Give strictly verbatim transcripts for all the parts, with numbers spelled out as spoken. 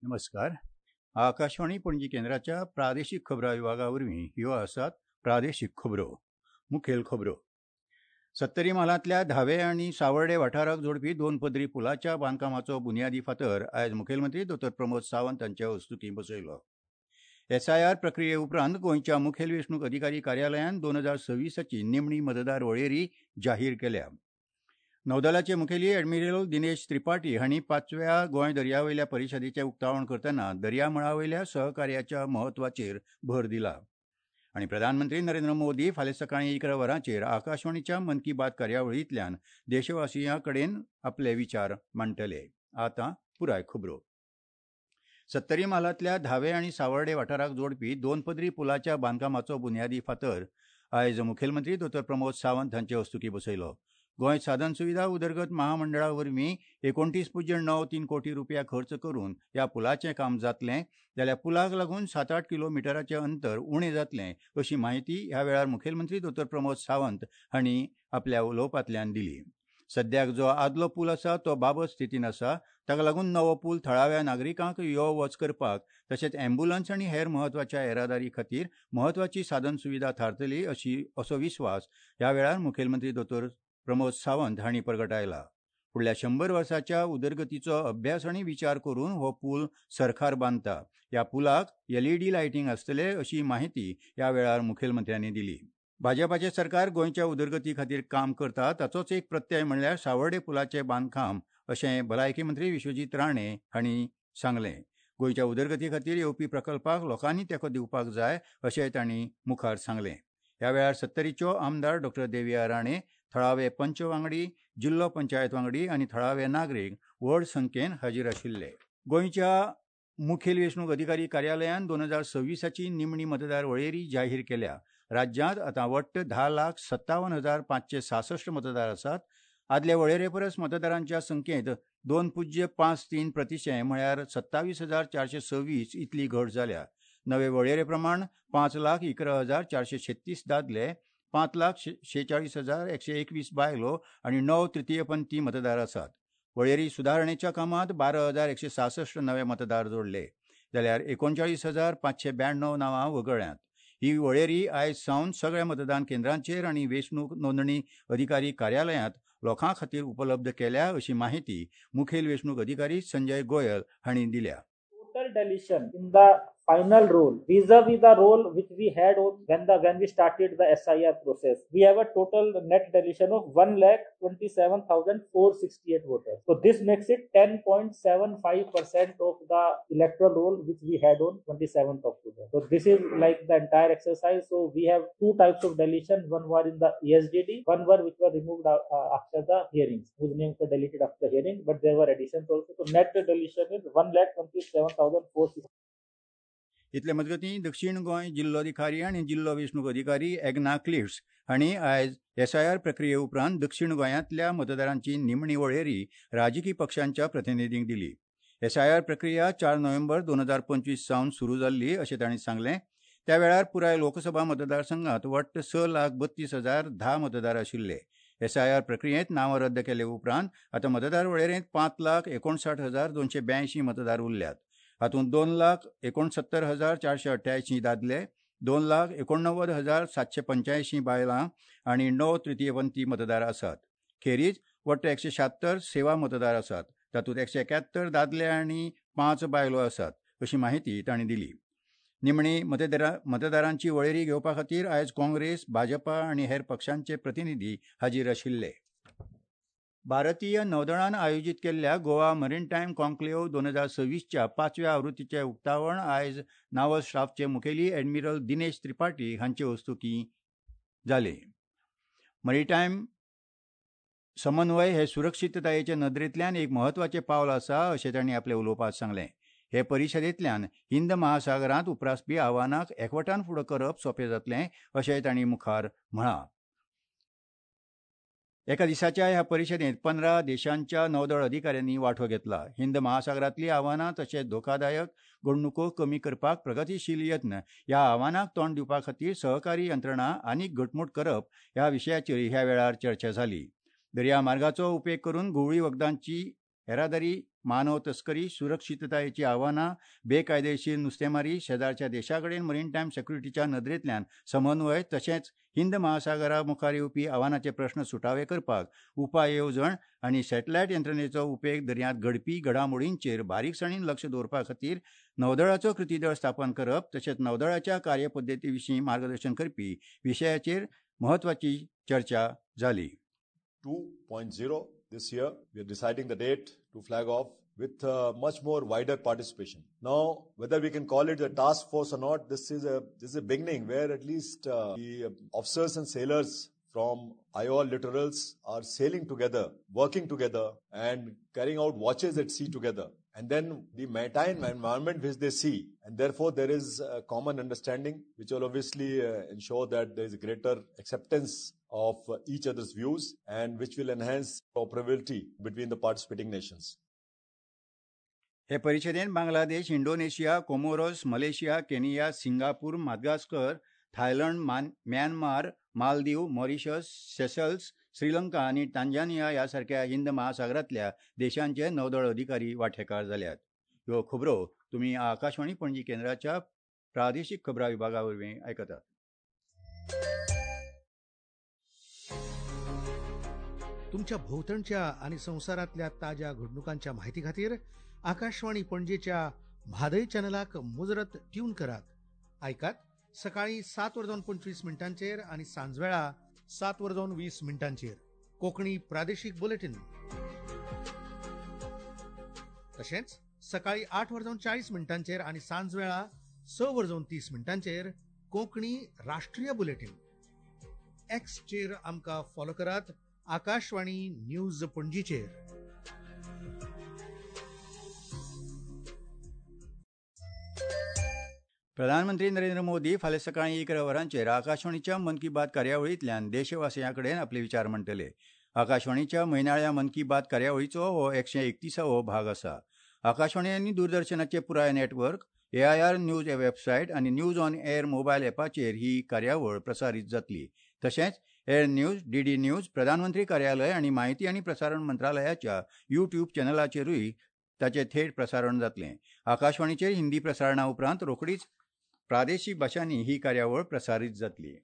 नमस्कार. आकाशवाणी पणजी केंद्राच्या प्रादेशीक खबरां विभागा वरवीं ह्यो आसात प्रादेशीक खबरो. मुखेल खबरो. सत्तरी म्हालांतल्या धावे आनी सावर्डे वाठाराक जोडपी दोन पदरी पुलाच्या बांदकामाचो बुन्यादी फातर आयज मुखेलमंत्री दोतोर प्रमोद सावंत हांचे हस्तुकीं बसयलो. एसआयआर प्रक्रिये उपरांत गोंयच्या मुखेल वेंचणूक अधिकारी कार्यालयान दोन हजार सव्वीसाची निमणी मतदार वळेरी जाहीर केल्या. नौदलाचे मुखेली एडमिरल दिनेश त्रिपाठी हांणी पांचव्या गोंय दर्यावयल्या परिशदेचें उक्तावण करतना दर्यामळावयल्या सहकार्याच्या म्हत्वाचेर भर दिला. आनी प्रधानमंत्री नरेंद्र मोदी फाल्यां सकाळीं इकरा वरांचेर आकाशवाणीच्या मन की बात कार्यावळींतल्यान देशवासियां कडेन आपले विचार मांडटले. आतां पुराय खबरो. सत्तरी म्हालांतल्या धावे आनी सावर्डे वाठाराक जोडपी दोन पदरी पुलाच्या बांदकामाचो बुन्यादी फातर आयज मुखेलमंत्री दोतोर प्रमोद सावंत हांचे हस्तुकीं बसयलो. गोंय साधन सुविधा उदरगत महामंडळा वरवीं एकोणतीस पुज्य णव तीन कोटी रुपया खर्च करून ह्या पुलाचें काम जातलें, जाल्यार पुलाक लागून सात आठ किलोमिटराचें अंतर उणें जातलें अशी म्हायती ह्या वेळार मुखेलमंत्री दोतोर प्रमोद सावंत हांणी आपल्या उलोवपांतल्यान दिली. सद्याक जो आदलो पूल आसा तो बाबत स्थितीन आसा, ताका लागून नवो पूल थळाव्या नागरिकांक यो वच करपाक तशेंच ॲम्ब्युलन्स आनी हेर म्हत्वाच्या येरादारी खातीर म्हत्वाची साधन सुविधा थारतली अशी असो विस्वास ह्या वेळार मुखेलमंत्री दोतोर प्रमोद सावंत हांणी परगटायला. फुडल्या शंबर वर्साच्या उदरगतीचो अभ्यास आनी विचार करून हो पूल सरकार बांदता. ह्या पुलाक एलईडी लायटींग आसतले अशी माहिती ह्या वेळार मुखेलमंत्र्यांनी दिली. भाजपाचें सरकार गोंयच्या उदरगती खातीर काम करता ताचोच एक प्रत्यय म्हणल्यार सावर्डे पुलाचें बांदकाम अशें भलायकी मंत्री विश्वजीत राणे हांणी सांगलें. गोंयच्या उदरगती खातीर येवपी प्रकल्पाक लोकांनी तेंको दिवपाक जाय अशें तांणी मुखार सांगलें. ह्या वेळार सत्तरीच्यो आमदार डॉक्टर देविया राणे, थळावे पंच वांगडी, जिल्लो पंचायत वांगडी आनी थळावे नागरीक व्हड संख्येन हाजीर आशिल्ले. गोंयच्या मुखेल वेंचणूक अधिकारी कार्यालयान दोन हजार सव्वीसाची निमणी मतदार वळेरी जाहीर केल्या. राज्यांत आतां वट्ट धा लाख सत्तावन हजार पांचशे सासश्ट मतदार आसात. आदले वळेरे परस मतदारांच्या संख्येंत दोन पुज्य पांच तीन प्रतिशें म्हळ्यार सत्तावीस हजार चारशे सव्वीस इतली घट जाल्या. नवे वळेरे प्रमाण पांच लाख इकरा हजार चारशे छत्तीस दादले, पांच लाख शेचाळीस हजार एकशे एकवीस बायलो आनी णव तृतीयपंथी मतदार आसात. वळेरी सुदारणेच्या कामांत बारा हजार एकशे सासश्ट नवे मतदार जोडले, जाल्यार एकोणचाळीस हजार पांचशे ब्याण्णव नांवां वगळ्यांत. ही वळेरी आयज सावन सगळ्या मतदान केंद्रांचेर आनी वेंचणूक नोंदणी अधिकारी कार्यालयांत लोकां खातीर उपलब्ध केल्या अशी माहिती मुखेल वेंचणूक अधिकारी संजय गोयल हांणी दिल्या. Total deletion in the final roll vis-a-vis the roll which we had on when the when we started the S I R process, we have a total net deletion of one lakh twenty-seven thousand four sixty-eight voters. So this makes it ten point seven five percent of the electoral roll which we had on twenty-seventh October. So this is like the entire exercise. So we have two types of deletion. One were in the E S D D, one were which were removed uh, after the hearings, whose names were deleted after the hearing, but there were additions also. So net deletion is one lakh twenty-seven thousand four sixty-eight. इतले मजगतीं दक्षिण गोंय जिल्लोधिकारी आनी जिल्लो वेंचणूक अधिकारी Egna cliffs हांणी आयज SIR प्रक्रिये उपरांत दक्षिण गोंयांतल्या मतदारांची निमणी वळेरी राजकी पक्षांच्या प्रतिनिधींक दिली. एसआयआर प्रक्रिया चार नोव्हेंबर दोन हजार पंचवीस सावन सुरू जाल्ली अशें तांणी सांगलें. त्या वेळार पुराय लोकसभा मतदारसंघात वट्ट स लाख बत्तीस हजार धा मतदार आशिल्ले. एसआयआर प्रक्रियेंत नांवां रद्द केले उपरांत आतां मतदार वळेरेंत पांच लाख एकोणसाठ हजार दोनशे ब्यायंशी मतदार उरल्यात. हातूंत दोन लाख एकोणसत्तर हजार चारशे अठ्ठ्यायशीं दादले, दोन लाख एकोणणव्वद हजार सातशे पंच्यायशीं बायलां आनी णव तृतीयपंथी मतदार आसात. खेरीज वट्ट एकशे शात्तर सेवा मतदार आसात. तातूंत एकशे एक्यात्तर दादले आनी पांच बायलो आसात अशी माहिती तांणी दिली. निमणी मतदारा मतदारांची वळेरी घेवपा खातीर आयज काँग्रेस, भाजपा आनी हेर पक्षांचे प्रतिनिधी हाजीर आशिल्ले. भारतीय नौदळान आयोजीत केल्ल्या गोवा मरीनटायम कॉन्क्लेव्ह दोन हजार सव्वीसच्या पांचव्या आवृत्तीचें उक्तावण आयज नावल स्टाफचे मुखेली एडमिरल दिनेश त्रिपाठी हांचे हस्तुकीं जालें. मरीटायम समन्वय हे सुरक्षिततायेचे नदरेंतल्यान एक म्हत्वाचें पावल आसा अशें तांणी आपल्या उलोवपांत सांगलें. हे परिशदेंतल्यान हिंद महासागरांत उप्रासपी आव्हानांक एकवटान फुडो करप सोंपें जातलें अशें तांणी मुखार म्हळां. एका दिसाच्या ह्या परिशदेंत पंदरा देशांच्या नौदळ अधिकाऱ्यांनी वांटो घेतला. हिंद महासागरांतली आव्हानां तशेंच धोकादायक घडणुको कमी करपाक प्रगतीशील यत्न ह्या आव्हानांक तोंड दिवपा खातीर सहकारी यंत्रणा आनीक घटमूट करप ह्या विशयाचेर ह्या वेळार चर्चा जाली. दर्या मार्गाचो उपेग करून घुंवळी वखदांची येरादारी, मानव तस्करी, सुरक्षिततायेची आव्हानां, बेकायदेशीर नुस्तेमारी, शेजारच्या देशा कडेन मरीनटायम सेक्युरिटीच्या नदरेंतल्यान समन्वय तशेंच हिंद महासागरा मुखार येवपी आव्हानाचे प्रस्न सुटावे करपाक उपाय येवजण आनी सॅटलायट यंत्रणेचो उपेग दर्यांत घडपी घडामोडींचेर बारीकसाणीन लक्ष दवरपा खातीर नौदळाचो कृती दळ स्थापन करप तशेंच नौदळाच्या कार्यपद्दती विशीं मार्गदर्शन करपी विशयाचेर म्हत्वाची चर्चा जाली. two point zero this year, we are deciding the date to flag off with uh, much more wider participation. Now, whether we can call it a task force or not, this is a this is a beginning where at least uh, the officers and sailors from I O L littorals are sailing together, working together and carrying out watches at sea together. And then the maritime environment which they see, and therefore there is a common understanding which will obviously uh, ensure that there is greater acceptance of uh, each other's views and which will enhance cooperability between the participating nations. हे परिशदेन Bangladesh, Indonesia, Comoros, Malaysia, Kenya, Singapore, Madagascar, Thailand, Myanmar, Maldives, Mauritius, Seychelles, Sri Lanka आनी टांझानिया ह्या सारक्या हिंद महासागरांतल्या देशांचे नौदळ अधिकारी वांटेकार जाल्यात. ह्यो खबरो तुमी आकाशवाणी पणजी केंद्राच्या प्रादेशीक खबरां विभागा वरवीं आयकतात. तुमच्या भोवतणच्या आनी संवसारांतल्या ताज्या घडणुकांच्या माहिती खातीर आकाशवाणी पणजेच्या म्हादय चॅनलाक मुजरत ट्यून करात. आयकात सकाळी सात वर जावन पंचवीस मिनटांचेर आनी सांजवेळा सात वर जावन वीस मिनटांचेर कोंकणी प्रादेशीक बुलेटीन. तशेंच सकाळी आठ वर जावन चाळीस मिनटांचेर आनी सांजवेळा स वर जावन तीस मिनटांचेर कोंकणी राष्ट्रीय बुलेटीन. एक्सचेर आमकां फॉलो करात आकाशवाणी न्यूज पणजीचेर. प्रधानमंत्री नरेंद्र मोदी फाल्यां सकाळीं इकरा वरांचेर आकाशवाणीच्या मन की बात कार्यावळींतल्यान देशवासियां कडेन आपले विचार मांडटले. आकाशवाणीच्या म्हयनाळ्या मन की बात कार्यावळीचो हो एकशे एकतीसावो भाग आसा. आकाशवाणी आनी दूरदर्शनाचे पुराय network, A I R news website आनी न्यूज ऑन एअर मोबायल ॲपाचेर ही कार्यावळ प्रसारीत जातली. तशेंच air news, D D news, प्रधानमंत्री कार्यालय आनी माहिती आनी प्रसारण मंत्रालयाच्या युट्यूब चॅनलाचेरूय ताचें थेट प्रसारण जातलें. आकाशवाणीचेर हिंदी प्रसारणा उपरांत रोखडीच प्रादेशीक भाशांनी ही कार्यावळ प्रसारीत जातली.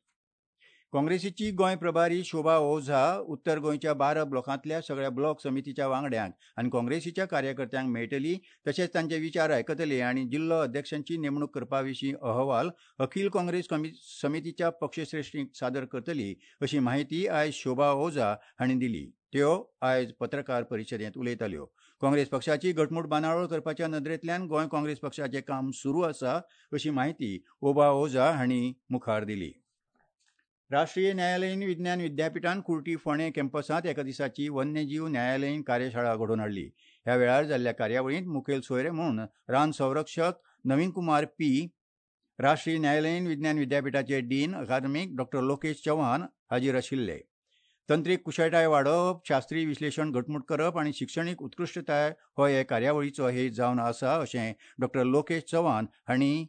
काँग्रेसीची गोंय प्रभारी शोभा ओझा उत्तर गोंयच्या बारा ब्लॉकांतल्या सगळ्या ब्लॉक समितीच्या वांगड्यांक आनी काँग्रेसीच्या कार्यकर्त्यांक मेळटली तशेंच तांचे विचार आयकतले आनी जिल्लो अध्यक्षांची नेमणूक करपा विशीं अहवाल अखील काँग्रेस समितीच्या पक्षश्रेश्ठींक सादर करतली अशी माहिती आयज शोभा ओझा हांणी दिली. त्यो आयज पत्रकार परिशदेंत उलयताल्यो. काँग्रेस पक्षाची घटमूट बांदावळ करपाच्या नदरेंतल्यान गोंय काँग्रेस पक्षाचें काम सुरू आसा अशी माहिती ओबा ओझा हांणी मुखार दिली. राष्ट्रीय न्यायालयीन विज्ञान विद्यापिठान कुर्टी फोंडें कॅम्पसांत एका दिसाची वन्यजीव न्यायालयीन कार्यशाळा घडोवन हाडली. ह्या वेळार जाल्ल्या कार्यावळींत मुखेल सोयरे म्हूण रान संरक्षक नवीन कुमार पी, राष्ट्रीय न्यायालयीन विज्ञान विद्यापिठाचे डीन अकादमीक डॉक्टर लोकेश चव्हाण हाजीर आशिल्ले. तंत्रीक कुशळटाय वाडोवप, शास्त्रीय विश्लेशण घटमूट करप आनी शिक्षणीक उत्कृश्टताय हो हे कार्यावळीचो हेत जावन आसा अशें डॉक्टर लोकेश चव्हाण हांणी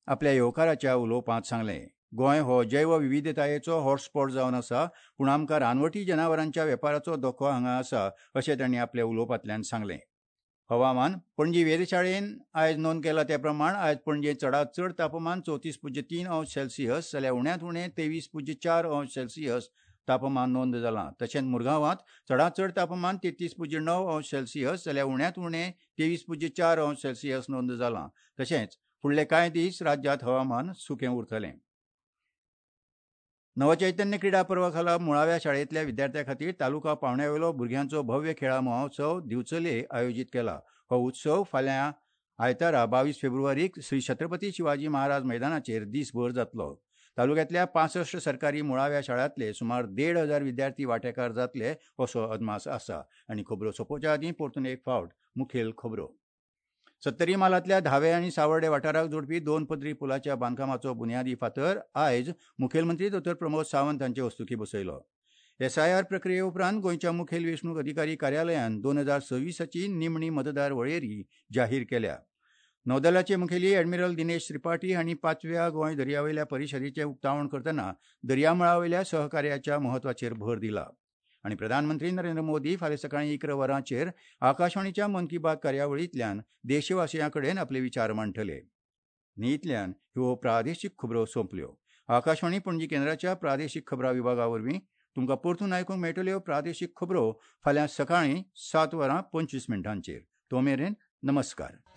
आपल्या येवकाराच्या उलोवपांत सांगलें. गोंय हो जैव विविधतायेचो हॉटस्पॉट जावन आसा, पूण आमकां रानवटी जनावरांच्या वेपाराचो धोको हांगा आसा अशें तांणी आपल्या उलोवपांतल्यान सांगलें. हवामान. पणजी वेधशाळेन आयज नोंद केला त्या प्रमाण आयज पणजे चडांत चड तापमान चवतीस पुज्य तीन अंश सेल्सियस जाल्यार उण्यांत उणें तेवीस पुज्य चार अंश सेल्सियस तापमान नोंद जालां. तशेंच मुरगांवांत चडांत चड तापमान तेत्तीस पुज्य णव अंश सेल्सियस जाल्यार उण्यांत उणें तेवीस पुज्य चार अंश सेल्सियस नोंद जालां. तशेंच फुडले कांय दीस राज्यांत हवामान सुकें उरतलें. नवचैतन्य क्रिडा पर्वा खाला मुळाव्या शाळेंतल्या विद्यार्थ्यां खातीर तालुका पावंड्यावेलो भुरग्यांचो भव्य खेळा महोत्सव दिवचले आयोजीत केला. हो उत्सव फाल्यां आयतारा बावीस फेब्रुवारीक श्री छत्रपती शिवाजी महाराज मैदानाचेर दीसभर जातलो. तालुक्यांतल्या पांसश्ट सरकारी मुळाव्या शाळांतले सुमार देड हजार विद्यार्थी वांटेकार जातले असो अदमास आसा. आनी खबरो सोंपोवच्या आदीं परतून एक फावट मुखेल खबरो. सत्तरी म्हालांतल्या धावे आनी सावर्डे वाठाराक जोडपी दोन पदरी पुलाच्या बांदकामाचो बुन्यादी फातर आयज मुखेलमंत्री दोतोर प्रमोद सावंत हांचे हस्तुकीं बसयलो. एसआयआर प्रक्रिये उपरांत गोंयच्या मुखेल वेंचणूक अधिकारी कार्यालयान दोन हजार सव्वीसाची निमणी मतदार वळेरी जाहीर केल्या. नौदलाचे मुखेली ॲडमिरल दिनेश त्रिपाठी हांणी पांचव्या गोंय दर्यावेल्या परिशदेचें उक्तावण करतना दर्यामळावेल्या सहकार्याच्या म्हत्वाचेर भर दिला. आनी प्रधानमंत्री नरेंद्र मोदी फाल्यां सकाळीं इकरा वरांचेर आकाशवाणीच्या मन की बात कार्यावळींतल्यान देशवासियां कडेन आपले विचार मांडटले. न्ही इतल्यान ह्यो प्रादेशीक खबरो सोंपल्यो. आकाशवाणी पणजी केंद्राच्या प्रादेशीक खबरां विभागा वरवीं तुमकां परतून आयकूंक मेळटल्यो प्रादेशीक खबरो फाल्यां सकाळीं सात वरां पंचवीस मिनटांचेर. तो मेरेन नमस्कार.